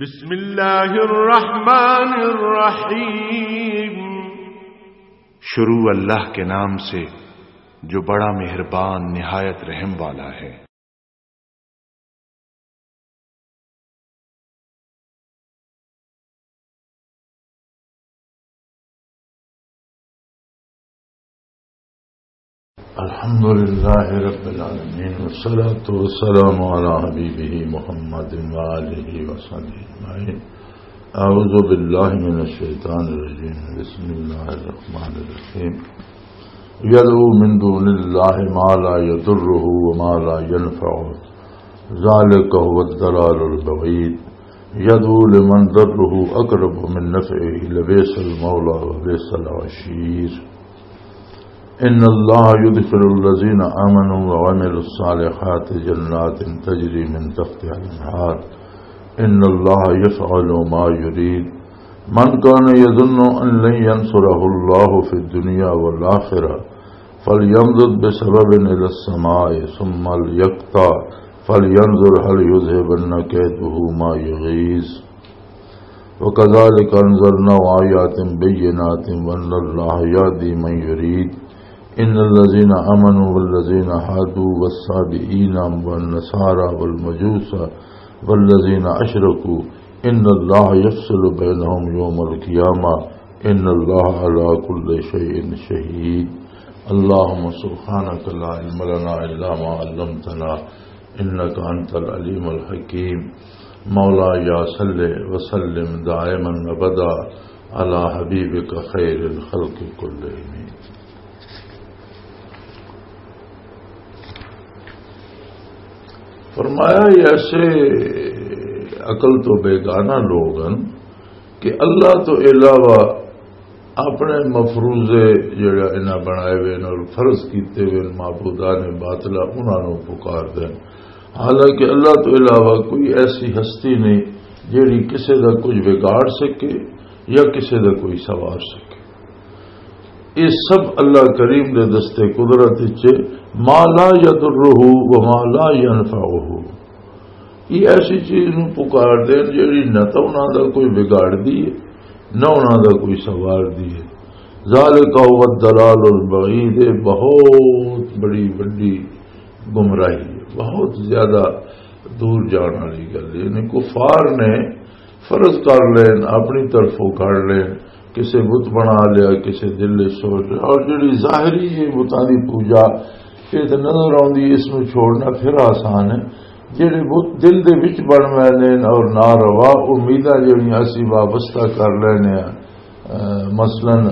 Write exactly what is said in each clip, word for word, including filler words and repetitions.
بسم اللہ الرحمن الرحیم۔ شروع اللہ کے نام سے، جو بڑا مہربان، نہایت رحم والا ہے۔ الحمد لله رب العالمين، والصلاة والسلام على حبيبه محمد وآله وصحبه أجمعين. أعوذ بالله من الشيطان الرجيم. بسم الله الرحمن الرحيم. يدعو من دون الله ما لا يضره وما لا ينفعه، ذلك هو الضلال البعيد. يدعو لمن ضره أقرب من نفعه، لبئس المولى وبئس العشير. إن الله يدخل الذين آمنوا وعملوا الصالحات جنات تجري من تحتها الأنهار. إن الله يفعل ما يريد. من كان يظن أن لن ينصره الله في الدنيا والآخرة فليمدد بسبب إلى السماء ثم ليقطع فلينظر هل يذهبن كيده ما يغيظ. وكذلك أنزلناه آيات بينات وأن الله يهدي من يريد. إن الذين آمنوا والذين هادوا والصابئين والنصارى والمجوس والذين أشركوا إن الله يفصل بينهم يوم القيامة. إن الله على كل شيء شهيد. اللهم سبحانك لا علم لنا إلا ما علمتنا إنك أنت العليم الحكيم. مولاي صل وسلم دائما أبدا على حبيبك خير الخلق كلهم. فرمایا، یہ ایسے عقل تو بیگانہ لوگ ہیں کہ اللہ تو علاوہ اپنے مفروضے جڑے انہاں بنائے ہوئے نے اور فرض کیتے ہوئے نے معبودان باطلہ، انہاں نوں پکار دے۔ حالانکہ اللہ تو علاوہ کوئی ایسی ہستی نہیں جڑی کسے دا کچھ بگاڑ سکے یا کسے دا کوئی سوار سکے۔ یہ سب اللہ کریم دے دستے قدرت وچ، ما لا یضرہ و ما لا ینفعہ۔ یہ ایسی چیز نوں پکار دین جڑی نہ تاں انہاں دا کوئی بگاڑ دی ہے، نہ انہاں دا کوئی سوار دی ہے۔ ذالک هو الضلال البعید، یہ بہت بڑی وڈی گمراہی ہے، بہت زیادہ دور جان والی گل ہے۔ یعنی کفار نے فرض کر لین، اپنی طرفوں کر لین، کسے بت بنا لیا، کسے دل وچ سوچ لیا، اور جڑی ظاہری یہ بتاں دی پوجا، یہ تے نظر آندی، اس نوں چھوڑنا پھر آسان ہے۔ جڑے بت دل دے وچ بن ویندے نے اور ناروا امیداں جڑیاں اسی وابستہ کر لینے ہیں، اے، مثلاً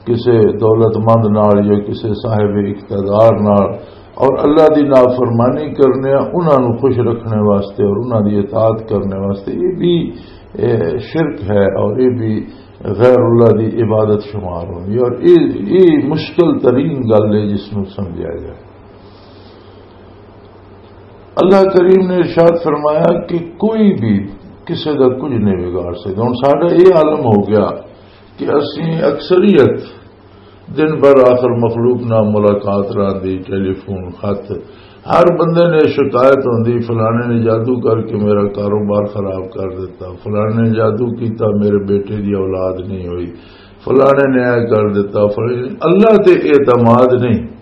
کسے دولت مند نال یا کسے صاحب اقتدار نال، اور اللہ دی نافرمانی کرنے آ، انہاں نوں خوش رکھنے واسطے اور انہاں دی اطاعت کرنے واسطے، یہ بھی، اے، شرک ہے اور یہ بھی غیر اللہ دی عبادت شمار ہوندی ہے، اور یہ، یہ مشکل ترین گل ہے جس نوں سمجھا جائے۔ اللہ کریم نے ارشاد فرمایا کہ کوئی بھی کسے دا کچھ نہیں بگاڑ سکدا۔ ہن ساڈا یہ عالم ہو گیا کہ اسی اکثریت دن بھر آخر مخلوق نال ملاقات رہندی، ٹیلی فون، خط، ہر بندے نے شکایت ہوندی، فلانے نے جادو کر کے میرا کاروبار خراب کر دیتا، فلانے نے جادو کیتا، میرے بیٹے دی اولاد نہیں ہوئی، فلانے نے اے کر دیتا، فلانے، اللہ تے اعتماد نہیں۔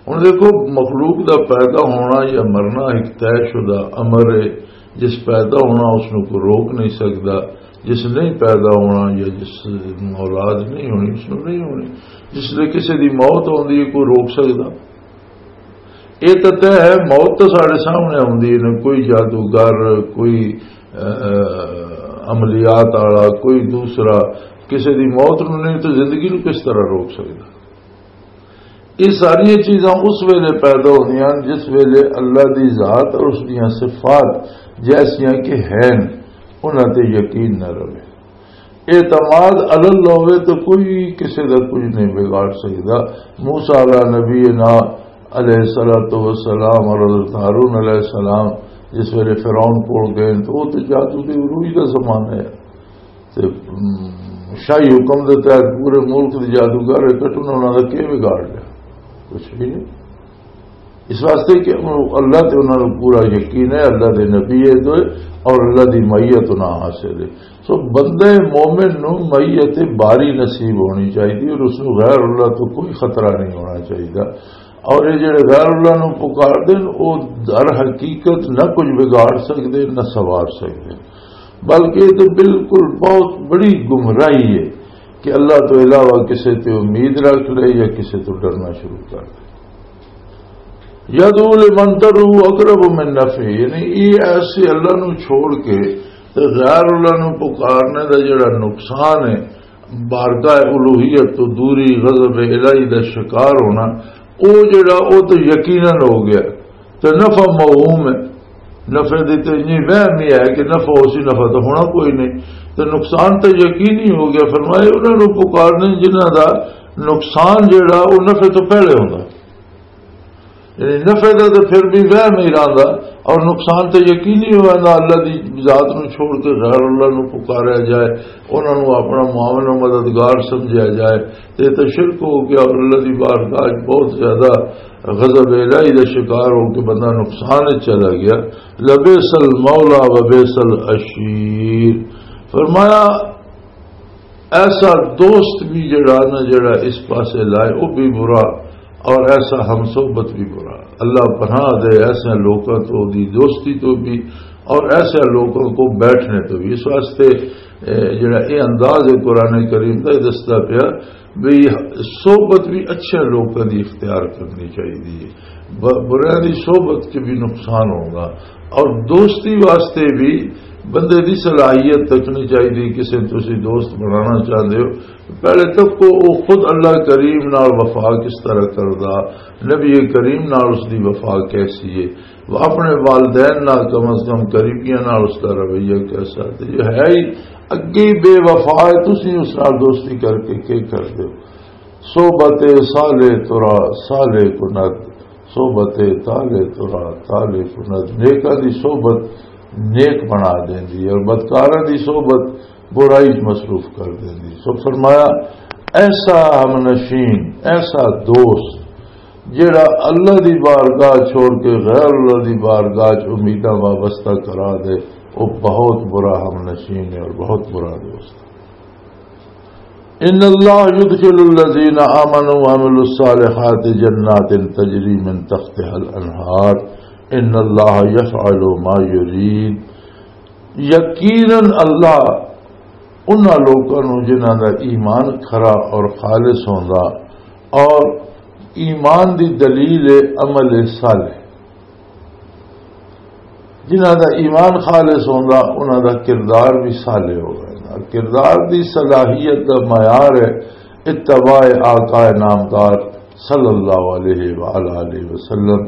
ہن دیکھو، مخلوق دا پیدا ہونا یا مرنا ایک طے شدہ امر ہے۔ جس پیدا ہونا، اس نوں کوئی روک نہیں سکدا، جس نہیں پیدا ہونا یا جس نوں اولاد نہیں ہونی، اس نوں نہیں ہونی۔ جس لے کسی دی موت ہوندی ہے، کوئی روک سکدا؟ یہ تو طے ہے، موت تو ساڈے سامنے آندی ہے، کوئی جادوگر، کوئی، اہ، عملیات والا، کوئی دوسرا، کسی دی موت نوں نہیں تو زندگی نوں کس طرح روک سکدا؟ یہ ساری چیزاں اس ویلے پیدا ہوندیاں ہن جس ویلے اللہ دی ذات اور اس دیاں صفات جیسیاں کہ ہن، انہاں تے یقین نہ رہے۔ اعتماد علی اللہ ہوئے تو کوئی کسے دا کچھ نہیں بگاڑ سکدا۔ موسیٰ علیہ نبی نا علیہ الصلوۃ والسلام اور حضرت ہارون علیہ السلام جس ویلے فرعون کول گئے تو وہ تو جادو دی عروج دا زمانہ ہے۔ تے، ام، شاہی حکم دے تحت پورے ملک دے جادوگر اکٹھے نے، انہاں دا کی بگاڑ لیا؟ کچھ بھی نہیں۔ اس واسطے کہ انہاں، اللہ تے انہاں نوں پورا یقین ہے، اللہ دے نبی ہے تو اور اللہ دی معیت نہ حاصل ہے۔ سو بندے مومن نو معیت باری نصیب ہونی چاہیے اور اس نو غیر اللہ تو کوئی خطرہ نہیں ہونا چاہیے۔ اور یہ جڑے غیر اللہ نو پکار دین، وہ در حقیقت نہ کچھ بگاڑ سکتے، نہ سوار سکتے، بلکہ یہ تو بالکل بہت بڑی گمراہی ہے کہ اللہ تو علاوہ کسی تے امید رکھ لے یا کسی تو ڈرنا شروع کر دے۔ یدعو لمن ضرہ اقرب من نفعہ، یعنی یہ ایسے اللہ نو چھوڑ کے تے غیر اللہ نو پکارنے دا جڑا نقصان ہے، بارگاہ الوہیت تو دوری، غضب الہی دا شکار ہونا، او جڑا، او تو یقیناً ہو گیا۔ تے نفع موہوم ہے، نفع دی تے اتنی وہم ہی ہے کہ نفع ہو سی، نفع تو ہونا کوئی نہیں۔ تے نقصان تو یقینی ہو گیا۔ فرمایا انہاں نوں پکارنے جنہاں دا نقصان جڑا، او نفع تو پہلے ہوندا۔ یعنی نفع دا تے پھر بھی وہم ہی رہندا، اور نقصان تے یقینی ہو ویندا۔ اللہ دی ذات نوں چھوڑ کے غیر اللہ نوں پکاریا جائے، انہاں نوں اپنا معاون و مددگار سمجھیا جائے، تے تے شرک ہو گیا اور اللہ دی بارگاہ وچ بہت زیادہ غضب الہی دا شکار ہو کے بندہ نقصان وچ چلا گیا۔ لبئس المولا و بئس العشیر۔ فرمایا، ایسا دوست بھی جڑا نا، جڑا اس پاسے لائے، وہ بھی برا، اور ایسا ہم صحبت بھی برا۔ اللہ پناہ دے ایسے لوکاں تو، دی دوستی تو بھی، اور ایسے لوکاں کو بیٹھنے تو بھی۔ اس واسطے، اے، جڑا یہ انداز ہے قرآن کریم دا، یہ دسدا پیا بھی صحبت بھی اچھے لوکاں دی اختیار کرنی چاہیے۔ ب-، برائیں دی صحبت کے بھی نقصان ہوگا، اور دوستی واسطے بھی بندے دی صلاحیت تکنی چاہیے۔ کسے تسی دوست بنانا چاہتے ہو، پہلے تک کو وہ خود اللہ کریم نال وفا کس طرح کردا، نبی کریم نال اس دی وفا کیسی ہے، وہ اپنے والدین نال کم از کم قریبیاں نال اس دا رویہ کیسا ہے۔ یہ ہے ہی اگے بے وفا ہے، تسی اس نال دوستی کر کے کی کر دے ہو؟ صحبت صالح ترا صالح کند، صحبت طالح ترا طالح کند۔ نیکاں دی صحبت نیک بنا دیندی ہے اور بدکاراں دی صحبت برائی وچ مصروف کر دیندی۔ سو فرمایا، ایسا ہم نشین، ایسا دوست جڑا اللہ دی بارگاہ چھوڑ کے غیر اللہ دی بارگاہ چ امیداں وابستہ کرا دے، وہ بہت برا ہم نشین ہے اور بہت برا دوست ہے۔ ان اللہ یدخل الذین آمنوا وعملوا الصالحات جنات تجری من تحتها الانہار، ان اللہ یفعل ما یرید۔ یقیناً اللہ انہاں لوکاں نوں جنہاں دا ایمان کھرا اور خالص ہوندا، اور ایمان دی دلیل ہے عمل صالح۔ جنہاں دا ایمان خالص ہوندا، انہاں دا کردار بھی صالح ہو ویندا۔ کردار دی صلاحیت دا معیار ہے اتباع آقا نامدار صلی اللہ علیہ وآلہ وسلم۔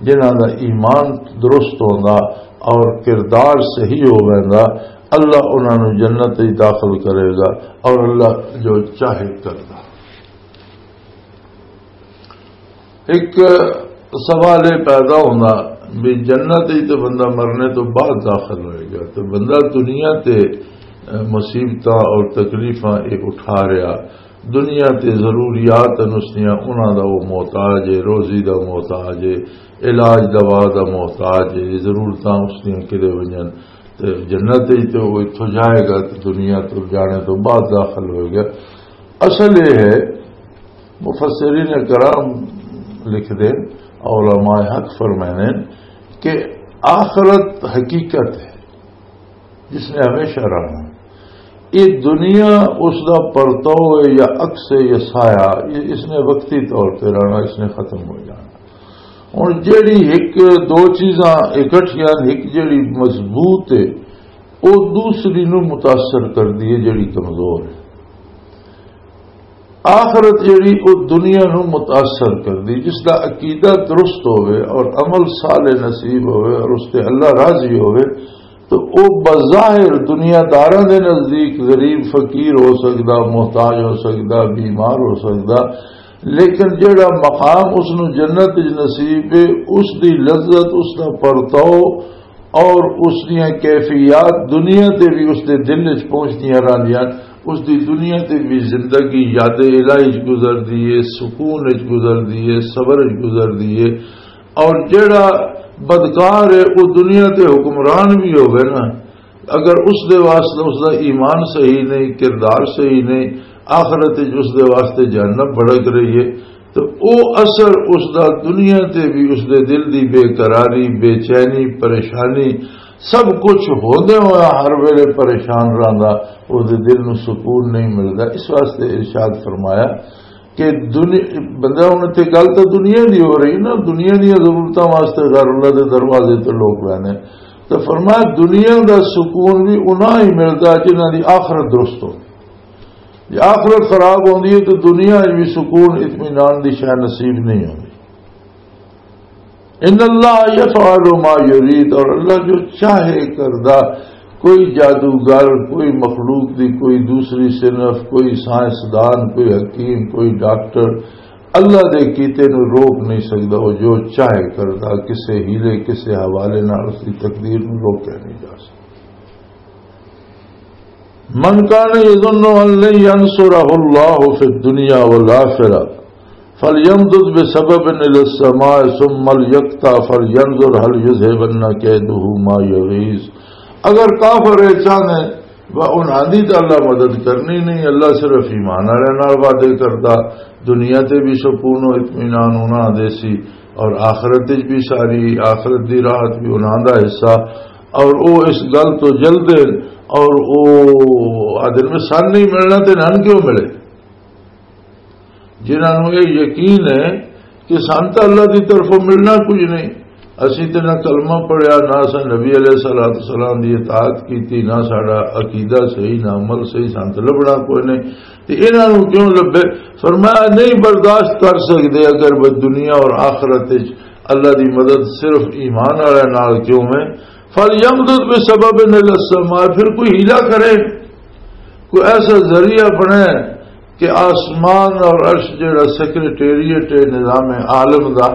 جنہاں دا ایمان درست ہوندا اور کردار صحیح ہو ویندا، اللہ انہاں نوں جنت وچ داخل کرے گا اور اللہ جو چاہے کردا۔ ایک سوال یہ پیدا ہونا بھی جنت ہی تو بندہ مرنے تو بعد داخل ہوئے گا، تو بندہ دنیا تے، اے، مصیبتاں اور تکلیفاں یہ اٹھا رہا، دنیا تے ضروریات ہیں اس دیاں، انہاں دا وہ محتاج ہے، روزی دا محتاج ہے، علاج دوا دا محتاج ہے، ضرورتاں اس دیاں کدے ونجن، تے جنت ہی تو وہ اتھوں جائے گا، تو دنیا تو جانے تو بعد داخل ہوئے گا۔ اصل یہ ہے، مفسرین کرام لکھ دے، علماء حق فرمائے کہ آخرت حقیقت ہے جس نے ہمیشہ رہنا۔ یہ دنیا اس دا پرتو ہے یا عکس ہے یا سایہ، یہ اس نے وقتی طور پہ رہنا، اس نے ختم ہو جانا۔ ہن جیڑی ایک دو چیزاں اکٹھیاں، ایک جیڑی مضبوط ہے، وہ دوسری نو متاثر کر دی ہے جیڑی کمزور ہے۔ آخرت جیڑی او دنیا نو متاثر کر دی، جس دا عقیدہ درست ہوئے اور عمل صالح نصیب ہوئے اور اس تے اللہ راضی ہوئے، تو او بظاہر دنیا داراں دے نزدیک غریب فقیر ہو سکدا، محتاج ہو سکدا، بیمار ہو سکدا، لیکن جیڑا مقام اس نو جنت وچ نصیب ہے، اس دی لذت، اس دا پرتاؤ اور اس دیاں کیفیات دنیا تے بھی اس دے دل وچ پہنچدیاں رہندیاں۔ اس دی دنیا تے بھی زندگی یاد الہی وچ گزردی ہے، سکون وچ گزردی ہے، صبر وچ گزردی ہے۔ اور جڑا بدکار ہے، وہ دنیا تے حکمران بھی ہوے نا، اگر اس دے واسطے اس دا ایمان صحیح نہیں، کردار صحیح نہیں، آخرت وچ اس دے واسطے جہنم بھڑک رہی ہے، تو او اثر اس دا دنیا تے بھی، اس دے دل دی بے قراری، بے چینی، پریشانی، سب کچھ ہوندے ہویا ہر ویلے پریشان رہندا، اس دے دل نوں سکون نہیں ملدا۔ اس واسطے ارشاد فرمایا کہ دنیا، بندہ ہن اتھے گل تاں دنیا دی ہو رہی نا، دنیا دیاں ضرورتاں واسطے غیر اللہ دے دروازے تے لوگ ویندے۔ تو فرمایا، دنیا دا سکون بھی انہاں ہی ملدا جنہاں دی آخرت درست ہو۔ جے آخرت خراب ہوندی ہے تو دنیا وچ بھی سکون، اطمینان دی شے نصیب نہیں ہوندی۔ ان اللہ یفعل ما یرید، اور اللہ جو چاہے کردا۔ کوئی جادوگر، کوئی مخلوق دی کوئی دوسری صنف، کوئی سائنسدان، کوئی حکیم، کوئی ڈاکٹر اللہ دے کیتے نو روک نہیں سکدا۔ وہ جو چاہے کردا، کسے ہیلے، کسے حوالے نال اس دی تقدیر نو روکیا نہیں جا سکدا۔ من کان یظن ان لن ینصرہ اللہ فی الدنیا والآخرہ فلیمدد بسبب الی السماء ثم لیقطع فلینظر هل یذهبن کیدہ ما یغیظ۔ اگر کافر اے چاہنے، وہ انہاں دی تے اللہ مدد کرنی نہیں، اللہ صرف ایمان والے نال وعدے کردا، دنیا تے بھی سکون و اطمینان انہاں دے سی، اور آخرت وچ بھی ساری آخرت دی راحت بھی انہاں دا حصہ، اور او اس گل تو جلدے، اور او آدر میں سن نہیں ملنا تے نن کیوں ملے؟ جنہاں نوں یہ یقین ہے کہ سانتا اللہ دی طرفوں ملنا کچھ نہیں، اسی تے نہ کلمہ پڑھیا، نہ اساں نبی علیہ الصلوۃ والسلام دی اطاعت کیتی، نہ ساڈا عقیدہ صحیح، نہ عمل صحیح، سانت لبنا کوئی نہیں۔ تے انہاں نوں کیوں لبے؟ فرمایا، نہیں برداشت کر سکدے اگر وہ دنیا اور آخرت وچ اللہ دی مدد صرف ایمان والے نال کیوں ہے۔ فَلْيَمْدُدْ بِسَبَبٍ إِلَى السَّمَاءِ، پھر کوئی ہیلا کرے، کوئی ایسا ذریعہ بنے کہ آسمان اور عرش جڑا سیکرٹریٹ ہے نظام عالم دا،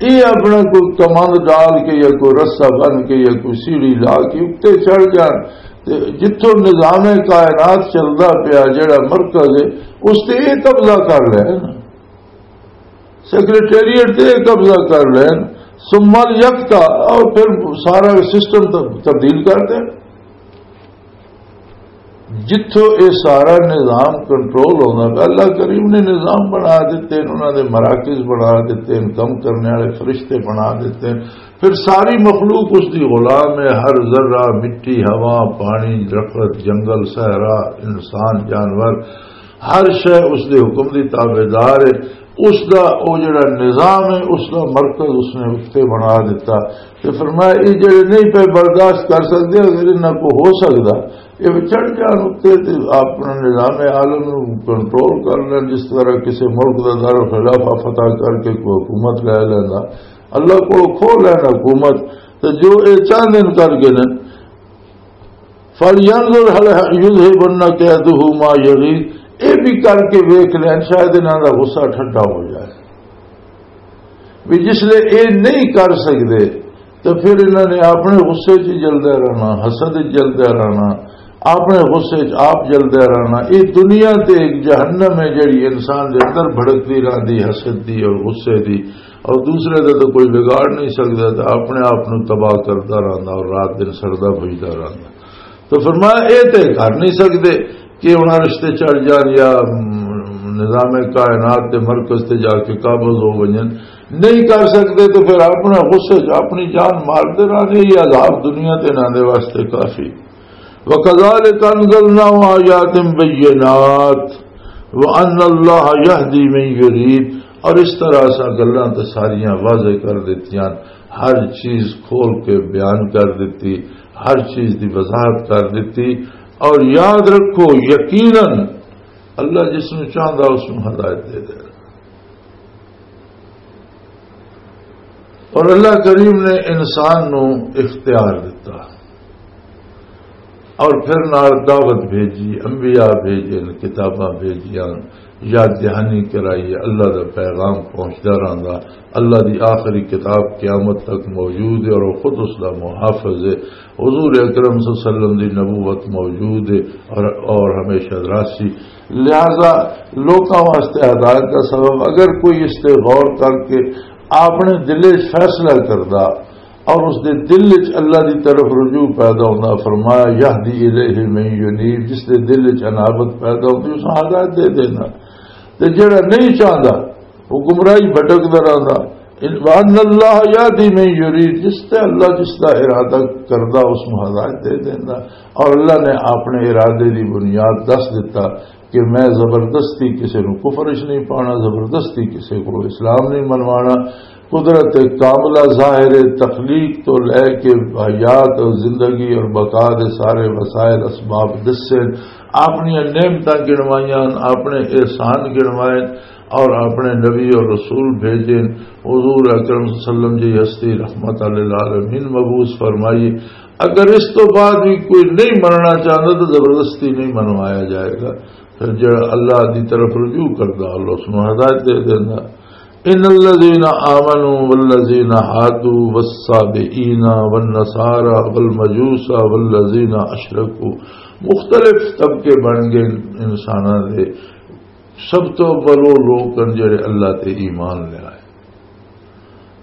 یہ اپنا کوئی کمند ڈال کے یا کوئی رسہ بن کے یا کوئی سیڑھی لا کے اُتے چڑھ جان، تے جتھوں نظام کائنات چلدا پیا، جڑا مرکز ہے، اس تے یہ قبضہ کر لے نا، سیکرٹریٹ تے یہ قبضہ کر لین، ثم یکتا، اور پھر سارا سسٹم تب-، تبدیل کر دے۔ جتھوں اے سارا نظام کنٹرول ہوندا پیا، اللہ کریم نے نظام بنا دیتے ہیں، انہاں دے مراکز بنا دیتے ہیں، کم کرنے والے فرشتے بنا دیتے ہیں۔ پھر ساری مخلوق اس دی غلام ہے، ہر ذرہ، مٹی، ہوا، پانی، درخت، جنگل، صحرا، انسان، جانور، ہر شے اس دے حکم دی تابعدار ہے۔ اس دا او جڑا نظام ہے، اس دا مرکز اس نے اُتے بنا دیتا۔ تے فرمایا، یہ جڑے نہیں پہ برداشت کر سکتے، اگر انہاں کو ہو سکتا، یہ چڑھ جان اُتے تے اپنا نظام عالم نو کنٹرول کر لین، جس طرح کسی ملک دا دارالخلافہ فتح کر کے کوئی حکومت لے لیندا۔ اللہ کو کھو لین حکومت، تے جو اے چاہندے نے کر کے نے، فَلْيَنْظُرْ هَلْ يُذْهِبَنَّ كَيْدُهُ مَا يَغِيظُ، اے بھی کر کے ویکھ لین، شاید انہاں دا غصہ ٹھنڈا ہو جائے۔ بھی جس لے اے نہیں کر سکدے، تو پھر انہاں نے اپنے غصے 'چ جلدے رہنا، حسد 'چ جلدے رہنا، اپنے غصے 'چ آپ جلدے رہنا۔ اے دنیا تے ایک جہنم ہے، جڑی انسان دے اندر بھڑکدی رہندی، حسد دی اور غصے دی، اور دوسرے دا تو کوئی بگاڑ نہیں سکدا، تو اپنے آپ نو تباہ کردا رہندا اور رات دن سڑدا بھجدا رہندا۔ تو فرمایا، اے تے کر نہیں سکدے کہ انہاں رشتے چڑھ جان یا، م، نظام کائنات دے مرکز تے جا کے قابض ہو ونجن، نہیں کر سکدے تو پھر اپنا غصے چ اپنی جان مار دے رہنے، یہ عذاب دنیا تے انہاں دے واسطے کافی۔ وَكَذَلِكَ أَنزَلْنَاهُ آيَاتٍ بَيِّنَاتٍ وَأَنَّ اللَّهَ يَهْدِي مَن يُرِيدُ، اور اس طرح اساں گلاں تے ساریاں واضح کر دتیاں، ہر چیز کھول کے بیان کر دتی، ہر چیز دی وضاحت کر دتی۔ اور یاد رکھو، یقیناً اللہ جس نوں چاہندا اس نوں ہدایت دے دے۔ اور اللہ کریم نے انسان نو اختیار دتا، اور پھر نال دعوت بھیجی، انبیاء بھیجے، کتاباں بھیجیاں، یاد دہانی کرائی، اللہ دا پیغام پہنچدا رہندا۔ اللہ دی آخری کتاب قیامت تک موجود ہے اور وہ خود اس دا محافظ ہے۔ حضور اکرم صلی اللہ علیہ وسلم دی نبوت موجود ہے اور، اور ہمیشہ راسی۔ لہذا لوکاں واسطے ہدایت دا سبب، اگر کوئی اس تے غور کر کے اپنے دل وچ فیصلہ کردا، اور اس دے دل وچ اللہ دی طرف رجوع پیدا ہوندا۔ فرمایا، "یہدی الیہ من ینیب"، جس دے دل وچ انابت پیدا ہوندی، اس نوں ہدایت دے دینا۔ تے جڑا نہیں چاہندا، وہ گمراہی بھٹکدا رہندا۔ "وان اللہ یہدی من یرید"، جس تے اللہ جس دا ارادہ کردا، اس نوں ہدایت دے دیندا۔ اور اللہ نے اپنے ارادے دی بنیاد دس دتا کہ میں زبردستی کسے نوں کفر وچ نہیں پانا، زبردستی کسے کو اسلام نہیں منوانا۔ قدرت کاملہ ظاہر ہے، تخلیق تو لے کے حیات اور زندگی اور بقا دے سارے وسائل اسباب دسے، اپنی نعمتاں گنوائیاں، اپنے احسان گنوائے، اور اپنے نبی اور رسول بھیجے۔ حضور اکرم صلی اللہ علیہ وسلم جی ہستی رحمت للعالمین مبعوث فرمائی۔ اگر اس تو بعد بھی کوئی نہیں مننا چاہتا تو زبردستی نہیں منوایا جائے گا۔ پھر جڑا اللہ دی طرف رجوع کردا، اللہ اس نوں ہدایت دے دیندا۔ ان الذين آمنوا والذين هادوا والصابئين والنصارى والمجوس والذين اشركوا، مختلف طبقے بن گئے انساناں دے۔ سب تو اول وہ لوگ ہیں جڑے اللہ تے ایمان لے آئے۔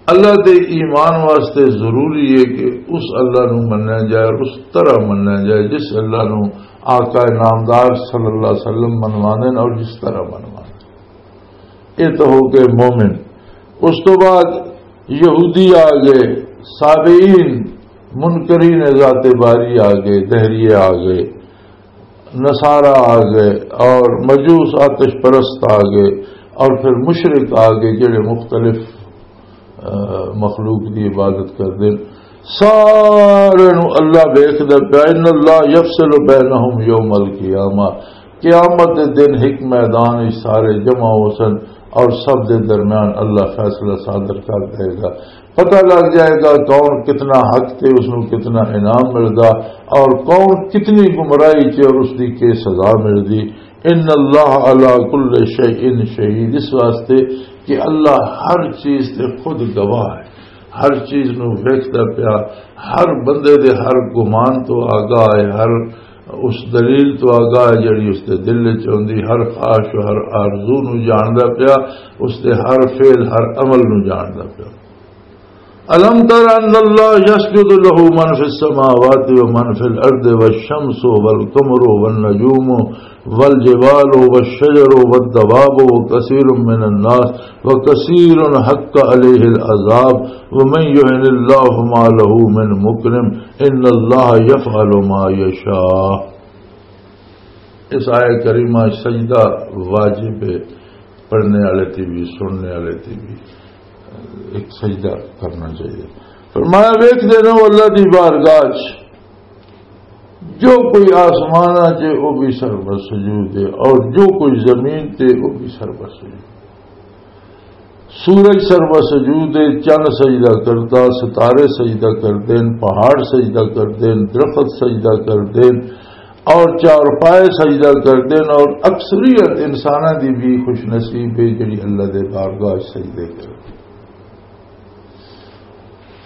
اللہ تے ایمان واسطے ضروری ہے کہ اس اللہ نو منیا جائے اور اس طرح منیا جائے جس اللہ نو آقا نامدار صلی اللہ علیہ وسلم منوانے اور جس طرح منوانے۔ یہ تو ہو گئے مومن۔ اس تو بعد یہودی آ گئے، صابئین، منکرین ذات باری آ گئے، دہریے آ گئے، نصارہ آ گئے اور مجوس آتش پرست آ گئے، اور پھر مشرک آ گئے جڑے مختلف، آ، مخلوق دی عبادت کردے۔ سارے نو اللہ ویکھدا پیا، ان اللہ یفصل بینہم یوم القیامہ۔ قیامت دے دن ایک میدان وچ سارے جمع ہو سن اور سب دے درمیان اللہ فیصلہ صادر کر دے گا۔ پتہ لگ جائے گا کون کتنا حق تے اس نو کتنا انعام ملدا اور کون کتنی گمراہی تے اور اس دی کی سزا ملدی۔ ان اللہ علی کل شیء شہید، اس واسطے کہ اللہ ہر چیز تے خود گواہ ہے، ہر چیز نو ویکھدا پیا، ہر بندے دے ہر گمان تو آگاہ ہے، ہر اس دلیل تو آگاہ ہے جڑی اس دے دل وچ ہوندی، ہر خواہش و ہر آرزو نو جاندا پیا، اس دے ہر فعل ہر عمل نو جاندا پیا۔ الم تر ان اللہ یسجد لہ من فی السماوات و من فی الارض والشمس والقمر والنجوم والجبال والشجر والدواب وکثیر من الناس وکثیر حق علیہ العذاب ومن یہن اللہ فما لہ من مکرم ان اللہ یفعل ما یشاء۔ اس آیت کریمہ سجدہ واجب ہے، پڑھنے والے تے بھی، سننے والے تے بھی ایک سجدہ کرنا چاہیے۔ فرمایا، ویکھدے رہو اللہ دی بارگاہ چ، جو کوئی آسماناں چ، وہ بھی سر بسجود ہے، اور جو کوئی زمین تے، وہ بھی سر بسجود۔ سورج سر بسجود ہے، چند سجدہ کردا، ستارے سجدہ کردے، پہاڑ سجدہ کردے، درخت سجدہ کردے، اور چارپائے سجدہ کردے، اور اکثریت انساناں دی بھی خوش نصیب ہے جڑی اللہ دے بارگاہ وچ سجدے کردے۔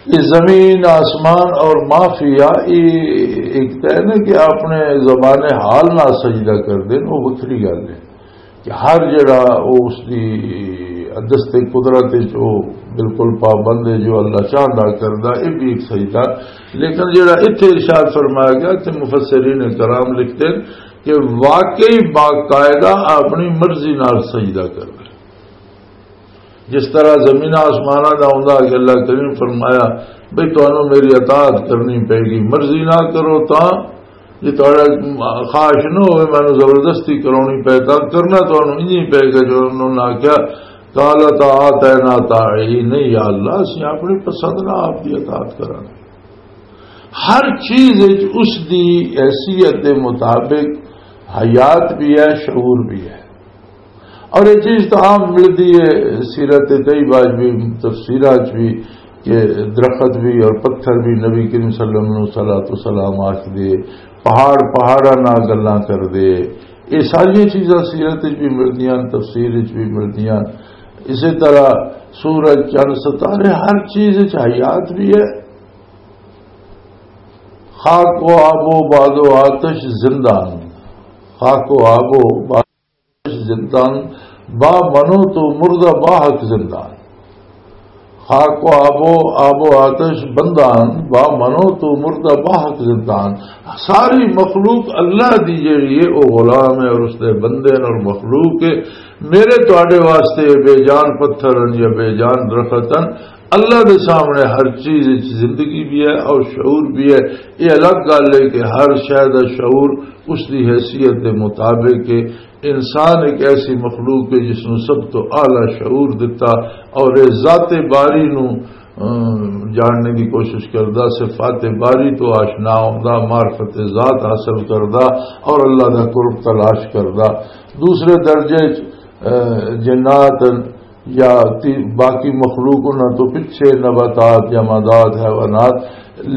یہ زمین، آسمان اور ما فیہا، یہ ایک تو ہے نا کہ اپنے زبان حال نال سجدہ کردے، وہ وکھری گل ہے کہ ہر جڑا وہ اس دی دست قدرت وچ وہ بالکل پابند ہے، جو اللہ چاہندا کردا، یہ بھی ایک سجدہ۔ لیکن جڑا اتھے ارشاد فرمایا گیا، اتھے مفسرین کرام لکھتے ہیں کہ واقعی باقاعدہ اپنی مرضی نال سجدہ کردا۔ جس طرح زمین آسماناں دا ہوندا کہ اللہ کریم فرمایا، "بھئی، تانوں میری اطاعت کرنی پئے گی، مرضی نہ کرو تاں، جے تہاڈا خواہش نہ ہوئے، مینوں زبردستی کراونی پئے تاں کرنا تانوں انج ہی پئے گا۔" جو انہوں نے آکھیا، "قال اطاعتنا طاعین"، نہیں یا اللہ، اسی اپنی پسند نہ آپ دی اطاعت کراں۔ ہر چیز وچ اس دی حیثیت دے مطابق حیات بھی ہے، شعور بھی ہے۔ اور یہ چیز تو عام ملتی ہے سیرت طیبہ وچ بھی، تفسیرات وچ بھی، کہ درخت بھی اور پتھر بھی نبی کریم صلی اللہ علیہ وسلم نوں صلاۃ و سلام آکھ دے، پہاڑ پہاڑاں نال گلاں کر دے۔ یہ ساری چیزاں سیرت وچ بھی ملدیاں، تفسیر وچ بھی ملدیاں۔ اسی طرح سورج، چند، ستارے، ہر چیز وچ حیات بھی ہے۔ خاک و آب و باد و آتش زندہ ہن۔ خاک و آب و باد زندان، با منو تو مردہ با حق زندان۔ خاک و آب و، آب و آتش بندان، با منو تو مردہ باحق زندان۔ ساری مخلوق اللہ دی جیڑی ہے، او غلام ہے اور اس دے بندے ہیں اور مخلوق ہے۔ میرے تواڈے واسطے بے جان پتھر ہیں یا بے جان درخت ہیں، اللہ دے سامنے ہر چیز وچ زندگی بھی ہے اور شعور بھی ہے۔ یہ الگ گل ہے کہ ہر شے دا شعور اس دی حیثیت دے مطابق ہے۔ انسان ایک ایسی مخلوق ہے جس نوں سب تو اعلیٰ شعور دتا، اور یہ ذات باری نوں، ام، جاننے دی کوشش کردا، صفات باری تو آشنا ہوندا، معرفت ذات حاصل کردا اور اللہ دا قرب تلاش کردا۔ دوسرے درجے چ، اے، جنات یا تی-، باقی مخلوق انہاں تو پچھے، نباتات، جمادات، حیوانات،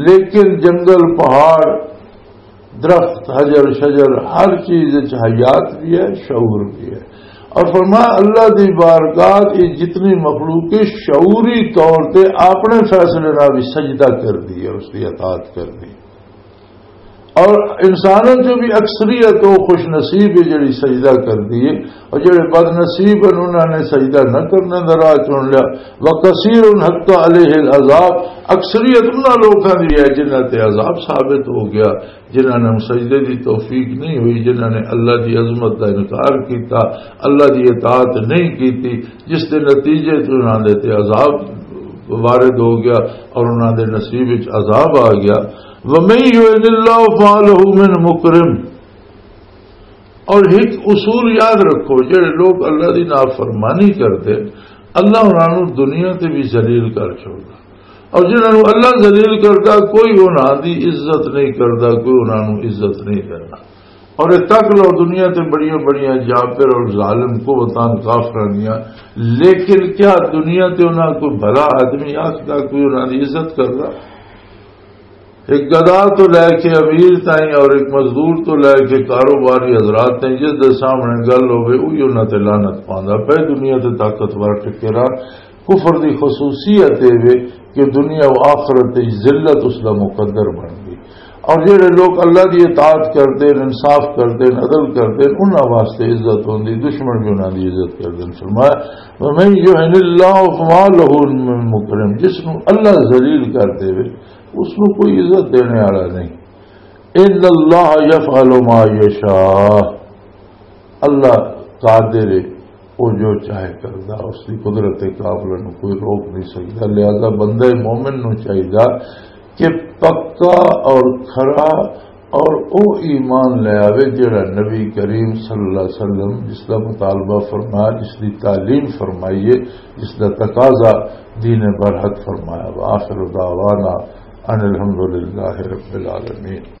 لیکن جنگل، پہاڑ، درخت، حجر شجر، ہر چیز وچ حیات بھی ہے، شعور بھی ہے۔ اور فرمایا، اللہ دی بارگاہ کی جتنی مخلوق ہے، شعوری طور تے اپنے فیصلے نال بھی سجدہ کر دی ہے، اس کی اطاعت کر دی۔ اور انسانوں چوں بھی اکثریت وہ خوش نصیب ہے جڑی سجدہ کر دی ہے، اور جڑے بد نصیب ہیں، انہوں نے سجدہ نہ کرنے دا راہ چن لیا۔ وَكَثِيرٌ حَقَّ عَلَيْهِ الْعَذَابُ، اکثریت انہاں لوکاں دی ہے جنہاں تے عذاب ثابت ہو گیا، جنہاں نے سجدے دی توفیق نہیں ہوئی، جنہاں نے اللہ دی عظمت دا انکار کیتا، اللہ دی اطاعت نہیں کیتی، جس دے نتیجے چ انہاں دے تے عذاب وارد ہو گیا اور انہاں دے نصیب وچ عذاب آ گیا۔ وَمَن يُهِنِ اللَّهُ فَمَا لَهُ مِن مُّكْرِمٍ۔ اور ایک اصول یاد رکھو، جڑے لوگ اللہ دی نافرمانی کردے، اللہ انہاں نوں دنیا تے بھی ذلیل کر چھوڑدا، اور جنہاں نوں اللہ ذلیل کردا، کوئی انہاں دی عزت نہیں کردا، کوئی انہاں نوں عزت نہیں دیندا۔ اور یہ تک لو، دنیا تے بڑیاں بڑیاں جابر اور ظالم قوتاں کافراں دیاں، لیکن کیا دنیا تے انہاں کوئی بھلا آدمی آکھدا، کوئی انہاں دی عزت کردا؟ ایک گدا تو لے کے امیر تائیں اور ایک مزدور تو لے کے کاروباری حضرات تائیں، جس دے سامنے گل ہوے، وہی انہاں تے لعنت پاندا پے۔ دنیا تے طاقتور ٹکے رہن۔ کفر دی خصوصیت اے وے کہ دنیا و آخرت وچ ذلت اس دا مقدر بن گئی۔ اور جڑے لوگ اللہ دی اطاعت کردے نے، انصاف کردے نے، عدل کردے نے، انہاں واسطے عزت ہوندی، دشمن بھی انہاں دی عزت کردے نے۔ فرمایا، وَمَن يُهِنِ اللَّهُ فَمَا لَهُ مِن مُّكْرِمٍ، جس نوں اللہ ذلیل کر دے، اس نوں کوئی عزت دینے والا نہیں۔ ان اللہ یفعل ما یشاء، اللہ قادر ہے، وہ جو چاہے کردا، اس کی قدرت کاملہ نو کوئی روک نہیں سکتا۔ لہذا بندہ مومن نو چاہیدا کہ پکا اور کھرا اور او ایمان لے آوے جڑا نبی کریم صلی اللہ علیہ وسلم جس دا مطالبہ فرمایا، جس دی تعلیم فرمائی ہے، جس دا تقاضا دین برحق فرمایا۔ وآخر دعوانا ان الحمد للہ رب العالمین۔